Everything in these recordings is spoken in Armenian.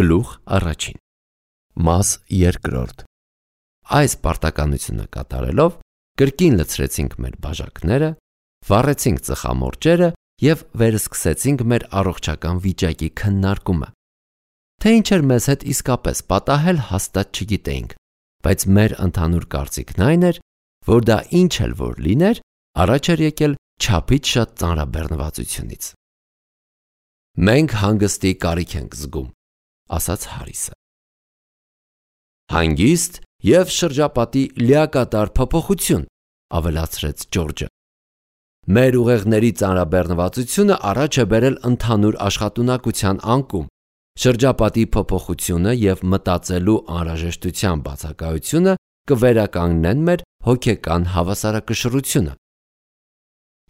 Գլուխ առաջին Մաս երկրորդ Այս պարտականությունը կատարելով կրկին լցրեցինք մեր բաժակները, վառեցինք ծխամորճերը և վերսկսեցինք մեր առողջական վիճակի քննարկումը։ Թե ինչ էր մեզ հետ իսկապես պատահել, հաստատ չգիտեինք, բայց մեր ընդհանուր կարծիքն այն էր, որ դա ինչ էլ որ լիներ, առաջ էր եկել չափից շատ ծանրաբեռնվածությունից։ Մենք հանգստի կարիք ենք զգում, ասաց Հարիսը։ Հանգիստ և շրջապատի լիակատար փոփոխություն, ավելացրեց Ջորջը։ Մեր ուղեղների ծանրաբեռնվածությունը առաջ է բերել ընդհանուր աշխատունակության անկում, շրջապատի փոփոխությունը և մտածելու անհրաժեշտության բացակայությունը կվերականգնեն մեր հոգեկան հավասարակշռությունը։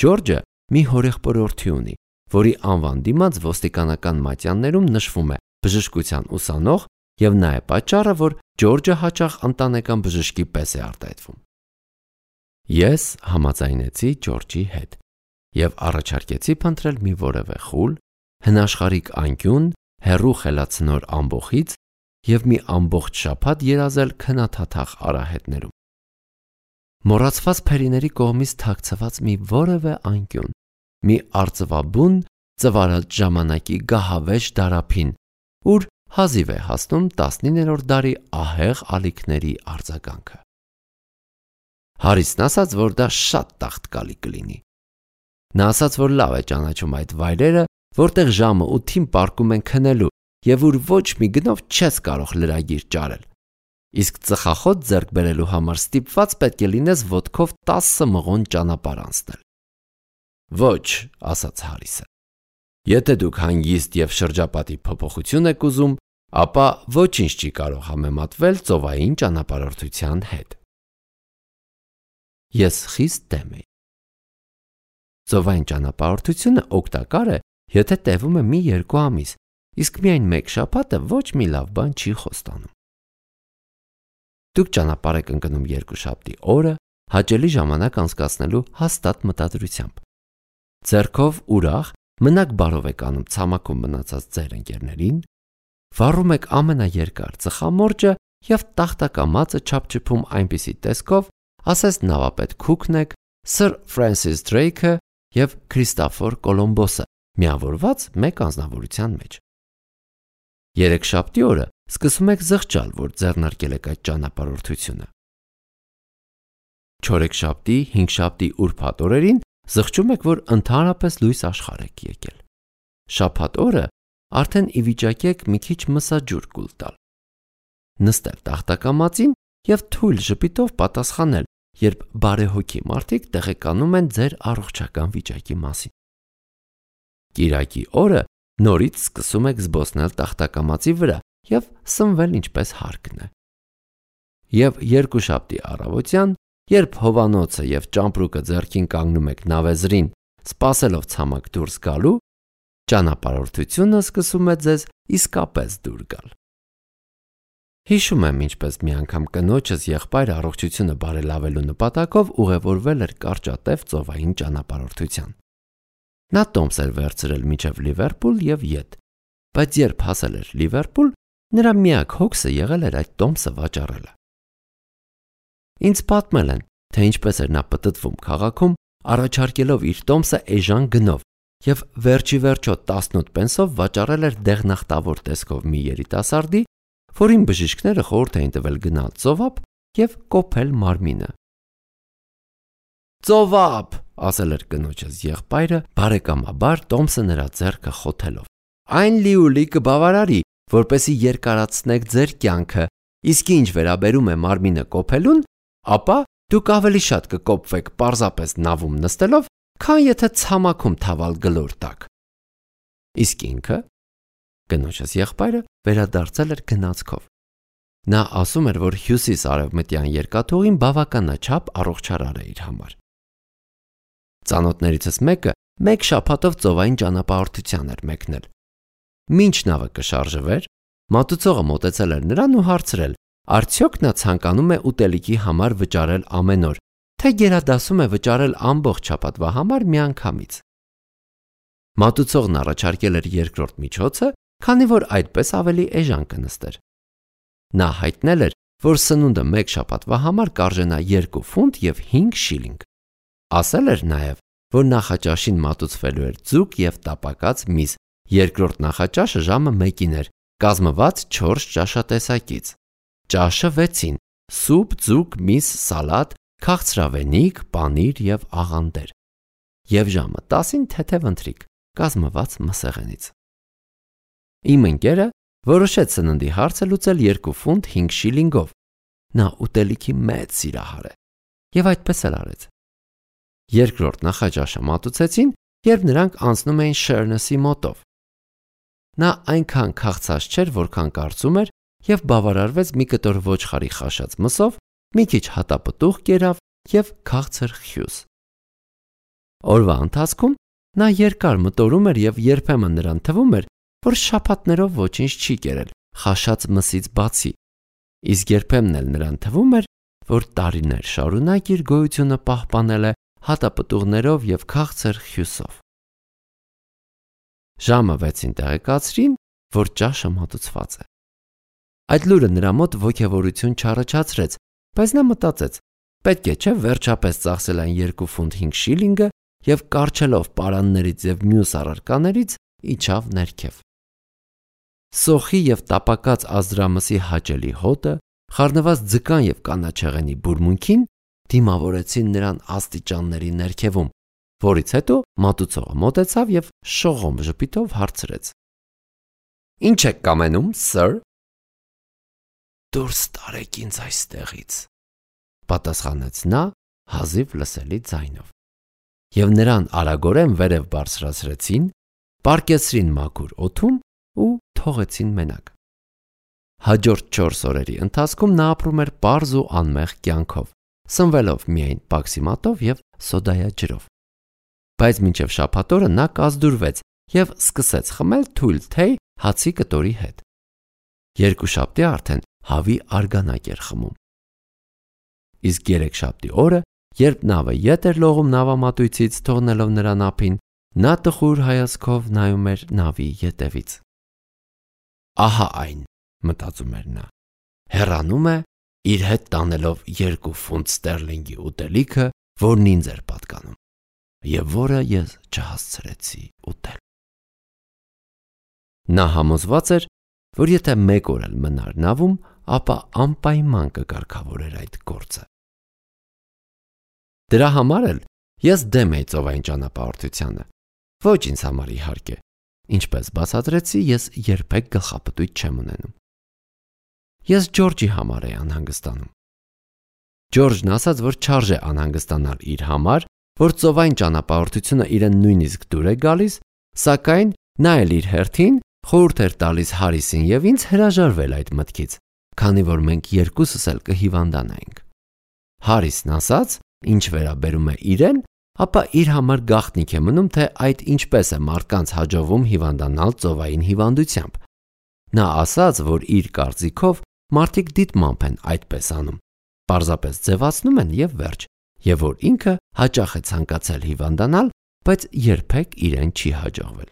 Ջորջը մի հորեղբորորդի ունի, որի անվան դիմաց ոստիկանական մատյաններում նշվում է բժշկության ուսանող և նա է պատճառը, որ Ջորջը հաճախ ընտանեկան բժշկի պես է արտահայտվում։ Ես համաձայնեցի Ջորջի հետ և առաջարկեցի փնտրել մի որևէ խուլ, հնաշխարհիկ անկյուն, հեռու խելացնոր ամբոխից և մի ամբողջ շաբաթ երազել քնաթաթախ արահետներում։ Մոռացված փերիների կողմից թաքցված մի որևէ անկյուն, մի արծվաբուն ծվարած ժամանակի գահավեժ դարափին, ուր հազիվ է հասնում 19-րդ դարի ահեղ ալիքների արձագանքը։ Հարիսն ասաց, որ դա շատ տաղտկալի կլինի։ Նա ասաց, որ լավ է ճանաչում այդ վայրերը, որտեղ ժամը 8-ին պառկում են քնելու և ուր ոչ մի գնով չես կարող լրագիր ճարել։ Իսկ ծխախոտ ձեռք բերելու համար ստիպված պետք է լինես ոտքով 10 մղոն ճանապարհ անցնել։ Ոչ, ասաց Հարիսը։ Եթե դուք հանգիստ և շրջապատի փոփոխություն եք ուզում, ապա ոչինչ չի կարող համեմատվել ծովային ճանապարհորդության հետ։ Ես խիստ դեմ էի։ Ծովային ճանապարհորդությունը օգտակար է, եթե տևում է 1-2 ամիս, իսկ միայն մեկ շաբաթը ոչ մի լավ բան չի խոստանում։ Դուք ճանապարհ եք ընկնում երկուշաբթի օրը, հաճելի ժամանակ անցկացնելու հաստատ մտադրությամբ։ Ձեռքով ուրախ մնաք բարով եք անում ցամաքում մնացած ձեր ընկերներին, վառում եք ամենաերկար ծխամորճը և տախտակամածը չափչփում այնպիսի տեսքով, ասես նավապետ Քուքն եք, Սըր Ֆրենսիս Դրեյքը և Քրիստոֆոր Կոլումբոսը միավորված մեկ անձնավորության մեջ։ Երեքշաբթի օրը սկսում եք զղջալ, որ ձեռնարկել եք այդ ճանապարհորդությունը։ Չորեքշաբթի, հինգշաբթի ուրբաթ օրերին զղջում եք, որ ընդհանրապես լույս աշխարհ եք եկել։ Շաբաթ օրը արդեն ի վիճակի եք մի քիչ մսաջուր կուլ տալ, նստել տախտակամածին և թույլ ժպիտով պատասխանել, երբ բարեհոգի մարդիկ տեղեկանում են ձեր առողջական վիճակի մասին։ Կիրակի օրը նորից սկսում եք զբոսնել տախտակամածի վրա և սնվել ինչպես հարկն է։ Եվ երկուշաբթի առավոտյան, երբ հովանոցը և ճամպրուկը ձեռքին կանգնում եք նավեզրին, սպասելով ցամաք դուրս գալու, ճանապարհորդությունը սկսում է ձեզ իսկապես դուր գալ։ Հիշում եմ, ինչպես մի անգամ կնոջս եղբայրը առողջությունը բարելավելու նպատակով ուղևորվել էր կարճատև ծովային ճանապարհորդության։ Նա տոմս էր վերցրել մինչև Լիվերպուլ և ետ, բայց երբ հասել էր Լիվերպուլ, նրա միակ հոգսը եղել էր այդ տոմսը վաճառելը։ Ինձ պատմել են, թե ինչպես էր նա պտտվում քաղաքում, առաջարկելով իր տոմսը էժան գնով և վերջի վերջո 18 պենսով վաճառել էր դեղնախտավոր տեսքով մի երիտասարդի, որին բժիշկները խորհուրդ էին տվել գնալ ծովափ և կոփել մարմինը։ Ծովափ, ասել էր կնոջս եղբայրը, բարեկամաբար տոմսը նրա ձեռքը խոթելով։ Այն լիուլի կբավարարի, որպեսզի երկարացնեք ձեր կյանքը, իսկ ինչ վերաբերում է մարմինը կոփելուն, ապա դուք ավելի շատ կկոփվեք պարզապես նավում նստելով, քան եթե ցամաքում թավալ գլոր տաք։ Իսկ ինքը, կնոջս եղբայրը վերադարձել էր գնացքով։ Նա ասում էր, որ հյուսիս-արևմտյան երկաթուղին բավականաչափ առողջարար է իր համար։ Ծանոթներիցս մեկը մեկ շաբաթով ծովային ճանապարհորդության էր մեկնել։ Մինչ նավը կշարժվեր, մատուցողը մոտեցել էր նրան ու հարցրել, արդյոք նա ցանկանում է ուտելիքի համար վճարել ամեն օր, թե գերադասում է վճարել ամբողջ շաբաթվա համար միանգամից։ Մատուցողն առաջարկել էր երկրորդ միջոցը քանի որ այդպես ավելի էժան կնստեր։ Նա հայտնել էր, որ սնունդը մեկ շաբաթվա համար կարժենա 2 ֆունտ և 5 շիլինգ։ Ասել էր նաև, որ նախաճաշին մատուցվելու էր ձուկ և տապակած միս, երկրորդ նախաճաշը ժամը 1-ին էր, կազմված 4 ճաշատեսակից, ճաշը 6-ին, սուպ, ձուկ, միս, սալատ, քաղցրավենիք, պանիր և աղանդեր, և ժամը 10-ին թեթև ընթրիք, կազմված մսեղենից։ Իմ ընկերը որոշեց սննդի հարցը լուծել 2 ֆունտ 5 շիլինգով։ Նա ուտելիքի մեծ սիրահար է և այդպես էլ արեց։ Երկրորդ նախաճաշը մատուցեցին, երբ նրանք անցնում էին Շերնեսի մոտով։ Նա այնքան քաղցած չէր, որքան կարծում էր, և բավարարվեց մի կտոր ոչխարի խաշած մսով, մի քիչ հատապտուղ կերավ և քաղցր խյուս։ Օրվա ընթացքում նա երկար մտորում էր և երբեմն նրան թվում էր, որ շաբաթներով ոչինչ չի կերել խաշած մսից բացի, իսկ երբեմն էլ նրան թվում էր, որ տարիներ շարունակ իր գոյությունը պահպանել է հատապտուղներով և քաղցր խյուսով։ Ժամը 6-ին տեղեկացրին, որ ճաշը մատուցված է։ Այդ լուրը նրա մոտ ոգևորություն չառաջացրեց, բայց նա մտածեց. պետք է չէ վերջապես ծախսել այն 2 ֆունտ 5 շիլինգը և կառչելով պարաններից և մյուս առարկաներից իջավ ներքև։ Սոխի և տապակած ազդրամսի հաճելի հոտը, խառնված ձկան և կանաչեղենի բուրմունքին դիմավորեցին նրան աստիճանների ներքևում, որից հետո մատուցողը մոտեցավ և շողոմ ժպիտով հարցրեց. «Ինչ եք կամենում, սըր»։ «Դուրս տարեք ինձ այստեղից», պատասխանեց նա հազիվ լսելի ձայնով, և նրան արագորեն վերև բարձրացրեցին, պառկեցրին մաքուր օդում ու թողեցին մենակ։ Հաջորդ 4 օրերի ընթացքում նա ապրում էր պարզ ու անմեղ կյանքով, սնվելով միայն պաքսիմատով և սոդայաջրով։ Բայց մինչև շաբաթ օրը նա կազդուրվեց և սկսեց խմել թույլ թեյ հացի կտորի հետ։ Երկուշաբթի արդեն հավի արգանակ էր խմում։ Իսկ երեքշաբթի օրը, երբ նավը ետ էր լողում նավամատույցից թողնելով նրան ափին, նա տխուր հայացքով նայում էր նավի ետևից։ «Ահա այն», մտածում էր նա, հեռանում է, իր հետ տանելով 2 ֆունտ ստերլինգի ուտելիքը, որն ինձ էր պատկանում, և որը ես չհասցրեցի ուտել։ Նա համոզված էր, որ եթե 1 օր էլ մնար նավում, ապա անպայման կկարգավորեր այդ գործը։ Դրա համար էլ ես դեմ էի ծովային ճանապարհորդությանը, ոչ ինձ համար իհարկե, ինչպես բացատրեցի, ես երբեք գլխապտույտ չեմ ունենում։ Ես Ջորջի համար էի անհանգստանում։ Ջորջն ասաց, որ չարժե անհանգստանալ իր համար, որ ծովային ճանապարհորդությունը իրեն նույնիսկ դուր է գալիս, սակայն նա էլ իր հերթին խորհուրդ էր տալիս Հարիսին և ինձ հրաժարվել այդ մտքից, քանի որ մենք երկուսս էլ կհիվանդանայինք։ Հարիսն ասաց, ինչ վերաբերում է իրեն, ապա իր համար գաղտնիք է մնում, թե այդ ինչպես է մարդկանց հաջողվում հիվանդանալ ծովային հիվանդությամբ։ Նա ասաց, որ իր կարծիքով մարդիկ դիտմամբ են այդպես անում, պարզապես ձևացնում են և վերջ, և որ ինքը հաճախ է ցանկացել հիվանդանալ, բայց երբեք իրեն չի հաջողվել։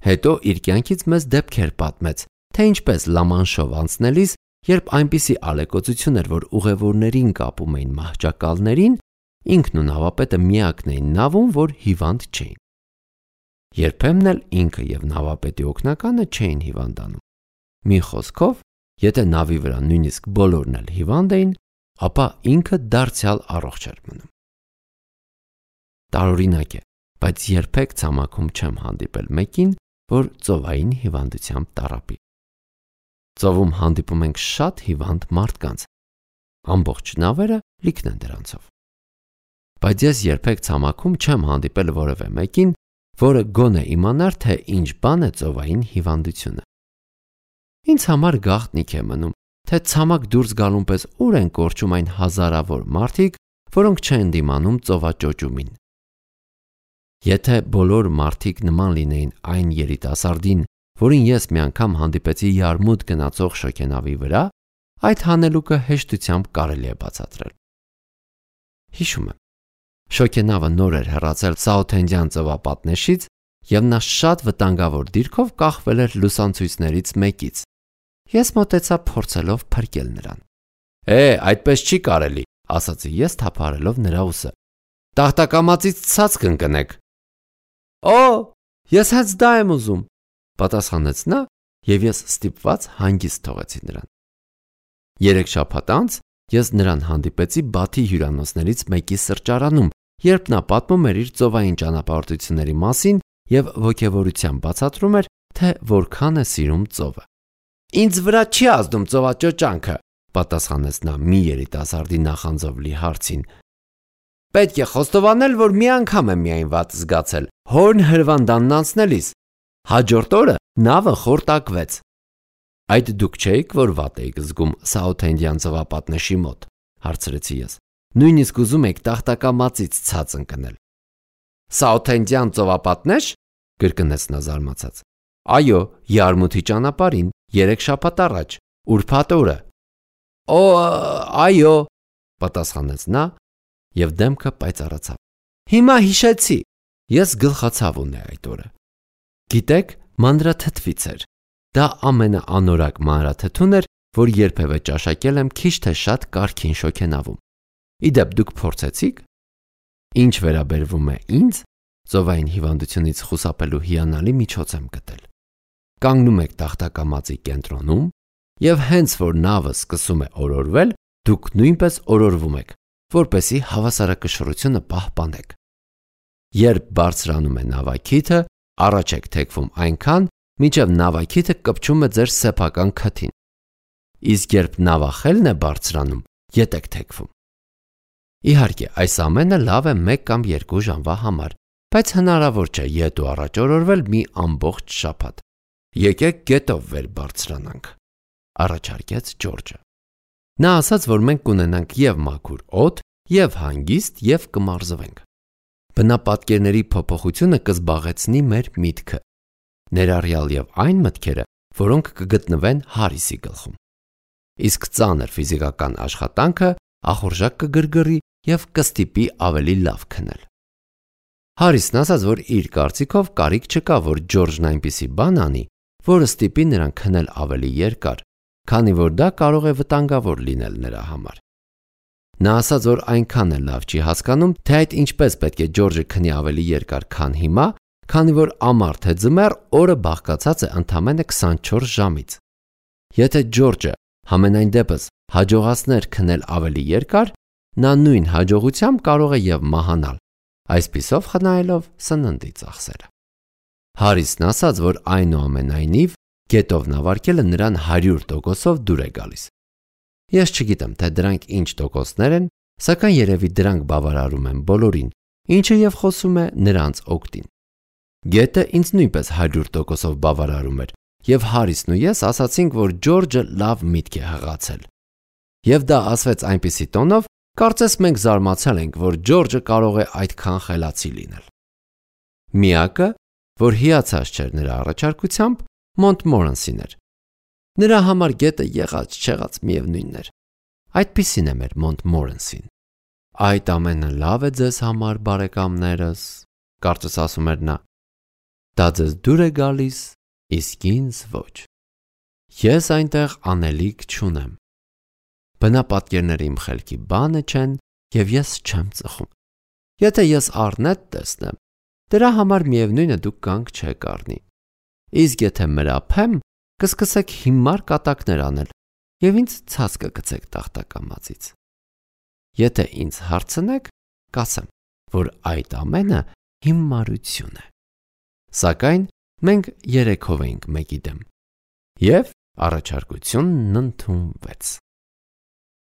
Հետո իր կյանքից մեզ դեպքեր պատմեց, թե ինչպես Լամանշով անցնելիս, երբ այնպիսի ալեկոծություն էր, որ ուղևորներին կապում էին մահճակալներին, ինքն ու նավապետը միակն էին նավում, որ հիվանդ չէին։ Երբեմն էլ ինքը և նավապետի օգնականը չէին հիվանդանում։ Մի խոսքով, եթե նավի վրա նույնիսկ բոլորն էլ հիվանդ էին, ապա ինքը դարձյալ առողջ էր մնում։ Տարօրինակ է, բայց երբեք ցամաքում չեմ հանդիպել մեկին, որ ծովային հիվանդությամբ տառապի։ Ծովում հանդիպում ենք շատ հիվանդ մարդկանց, ամբողջ նավերը լիքն են դրանցով։ Բայց ես երբեք ցամաքում չեմ հանդիպել որևէ մեկին, որը գոնե իմանար, թե ինչ բան է ծովային հիվանդությունը։ Ինձ համար գաղտնիք է մնում, թե ցամաք դուրս գալուն պես ուր են կորչում այն հազարավոր մարդիկ, որոնք չեն դիմանում ծովաճոճումին։ Եթե բոլոր մարդիկ նման լինեին այն երիտասարդին, որին ես մի անգամ հանդիպեցի Յարմուդ գնացող շոգենավի վրա, այդ հանելուկը հեշտությամբ կարելի է բացատրել։ Հիշում եմ, շոգենավը նոր էր հեռացել Սաութհենդյան ծովապատնեշից և նա շատ վտանգավոր դիրքով կախվել էր լուսանցույցներից մեկից։ Ես մոտեցա փորձելով փրկել նրան։ Այդպես չի կարելի, ասացի ես թափահարելով նրա ուսը։ Տախտակամածից ցած կընկնեք։ Ես հենց դա եմ ուզում, պատասխանեց նա, և ես ստիպված հանգիստ թողեցի նրան։ 3 շաբաթ անց ես նրան հանդիպեցի Բաթի հյուրանոցներից մեկի սրճարանում, երբ նա պատմում էր իր ծովային ճանապարհորդությունների մասին և ոգևորությամբ բացատրում էր, թե որքան է սիրում ծովը։ Ինձ վրա չի ազդում ծովաճոճանքը, պատասխանեց նա մի երիտասարդի նախանձով լի հարցին։ Պետք է խոստովանել, որ մի անգամ եմ միայն վատ զգացել Հորն հրվանդանն անցնելիս։ Հաջորդ օրը նավը խորտակվեց։ Այդ դուք չէիք, որ վատ էիք զգում Սաութհենդյան ծովապատնեշի մոտ, հարցրեցի ես։ Նույնիսկ ուզում եք տախտակամածից ցած ընկնել։ Սաութհենդյան ծովապատնեշ, կրկնեց նա զարմացած։ Այո, Յարմութի ճանապարհին 3 շաբաթ առաջ, ուրբաթ օրը։ Այո, պատասխանեց նա և դեմքը պայծառացավ։ Հիմա հիշեցի։ Ես գլխացավ ունեի այդ օրը։ Գիտեք, մանրաթթվից էր։ Դա ամենաանորակ մանրաթթուն էր, որ երբևէ ճաշակել եմ քիչ թե շատ կարգին շոգենավում։ Իդեպ դուք փորձեցի՞ք։ Ինչ վերաբերվում է ինձ, ծովային հիվանդությունից խուսափելու հիանալի միջոց եմ գտել։ Կանգնում եք տախտակամածի կենտրոնում, և հենց որ նավը սկսում է օրորվել, դուք նույնպես օրորվում եք, որպեսզի հավասարակշռությունը պահպանեք։ Երբ բարձրանում է նավակիթը, առաջ եք թեքվում այնքան, մինչև նավակիթը կպչում է ձեր սեփական քթին։ Իսկ երբ նավախելն է բարձրանում, ետ եք թեքվում։ Իհարկե, այս ամենը լավ է 1 կամ 2 ժամվա համար, բայց հնարավոր չէ ետ ու առաջ օրորվել մի ամբողջ շաբաթ։ Եկեք գետով վեր բարձրանանք, առաջարկեց Ջորջը։ Նա ասաց, որ մենք կունենանք և մաքուր օդ, և հանգիստ, և կմարզվենք։ Բնապատկերների փոփոխությունը կզբաղեցնի մեր միտքը, ներառյալ և այն մտքերը, որոնք կգտնվեն Հարիսի գլխում։ Իսկ ծանր ֆիզիկական աշխատանքը ախորժակ կգրգռի և կստիպի ավելի լավ քնել։ Հարիսն ասաց, որ իր կարծիքով կարիք չկա, որ Ջորջն այնպիսի բան անի, որը ստիպի նրան քնել ավելի երկար, քանի որ դա կարող է վտանգավոր լինել նրա համար։ Նա ասաց, որ այնքան էլ լավ չի հասկանում, թե այդ ինչպես պետք է Ջորջը քնի ավելի երկար, քան հիմա, քանի որ ամառ թե ձմեռ օրը բաղկացած է ընդամենը 24 ժամից։ Եթե Ջորջը համենայն դեպս հաջողացներ քնել ավելի երկար, նա նույն հաջողությամբ կարող է և մահանալ, այսպիսով խնայելով սննդի ծախսերը։ Հարիսն ասաց, որ այնուամենայնիվ գետով նավարկելը նրան 100%-ով դուր է գալիս։ Ես չգիտեմ, թե դրանք ինչ տոկոսներ են, սակայն երևի դրանք բավարարում են բոլորին, ինչը և խոսում է նրանց օգտին։ Գետը ինձ նույնպես 100%-ով բավարարում էր, և Հարիսն ու ես ասացինք, որ Ջորջը լավ միտք է հղացել։ Եվ դա ասվեց այնպիսի տոնով, կարծես մենք զարմացել ենք, որ Ջորջը կարող է այդքան խելացի լինել։ Միակը, որ հիացած չէր նրա առաջարկությամբ, Մոնտմորենսին էր։ Նրա համար գետը եղած-չեղած միևնույնն էր։ Այդպիսին է մեր Մոնտմորենսին։ Այդ ամենը լավ է ձեզ համար, բարեկամներս, կարծես ասում էր նա։ Դա ձեզ դուր է գալիս, իսկ ինձ ոչ։ Ես այնտեղ անելիք չունեմ։ Բնապատկերները իմ խելքի բանը չեն, և ես չեմ ծխում։ Եթե ես առնետ տեսնեմ, դրա համար միևնույն է դուք կանգ չեք առնի։ Իսկ եթե մրափեմ, կսկսեք հիմար կատակներ անել և ինձ ցած կգցեք տախտակամածից։ Եթե ինձ հարցնեք, կասեմ, որ այդ ամենը հիմարություն է։ Սակայն մենք 3-ով էինք մեկի դեմ, և առաջարկությունն ընդունվեց։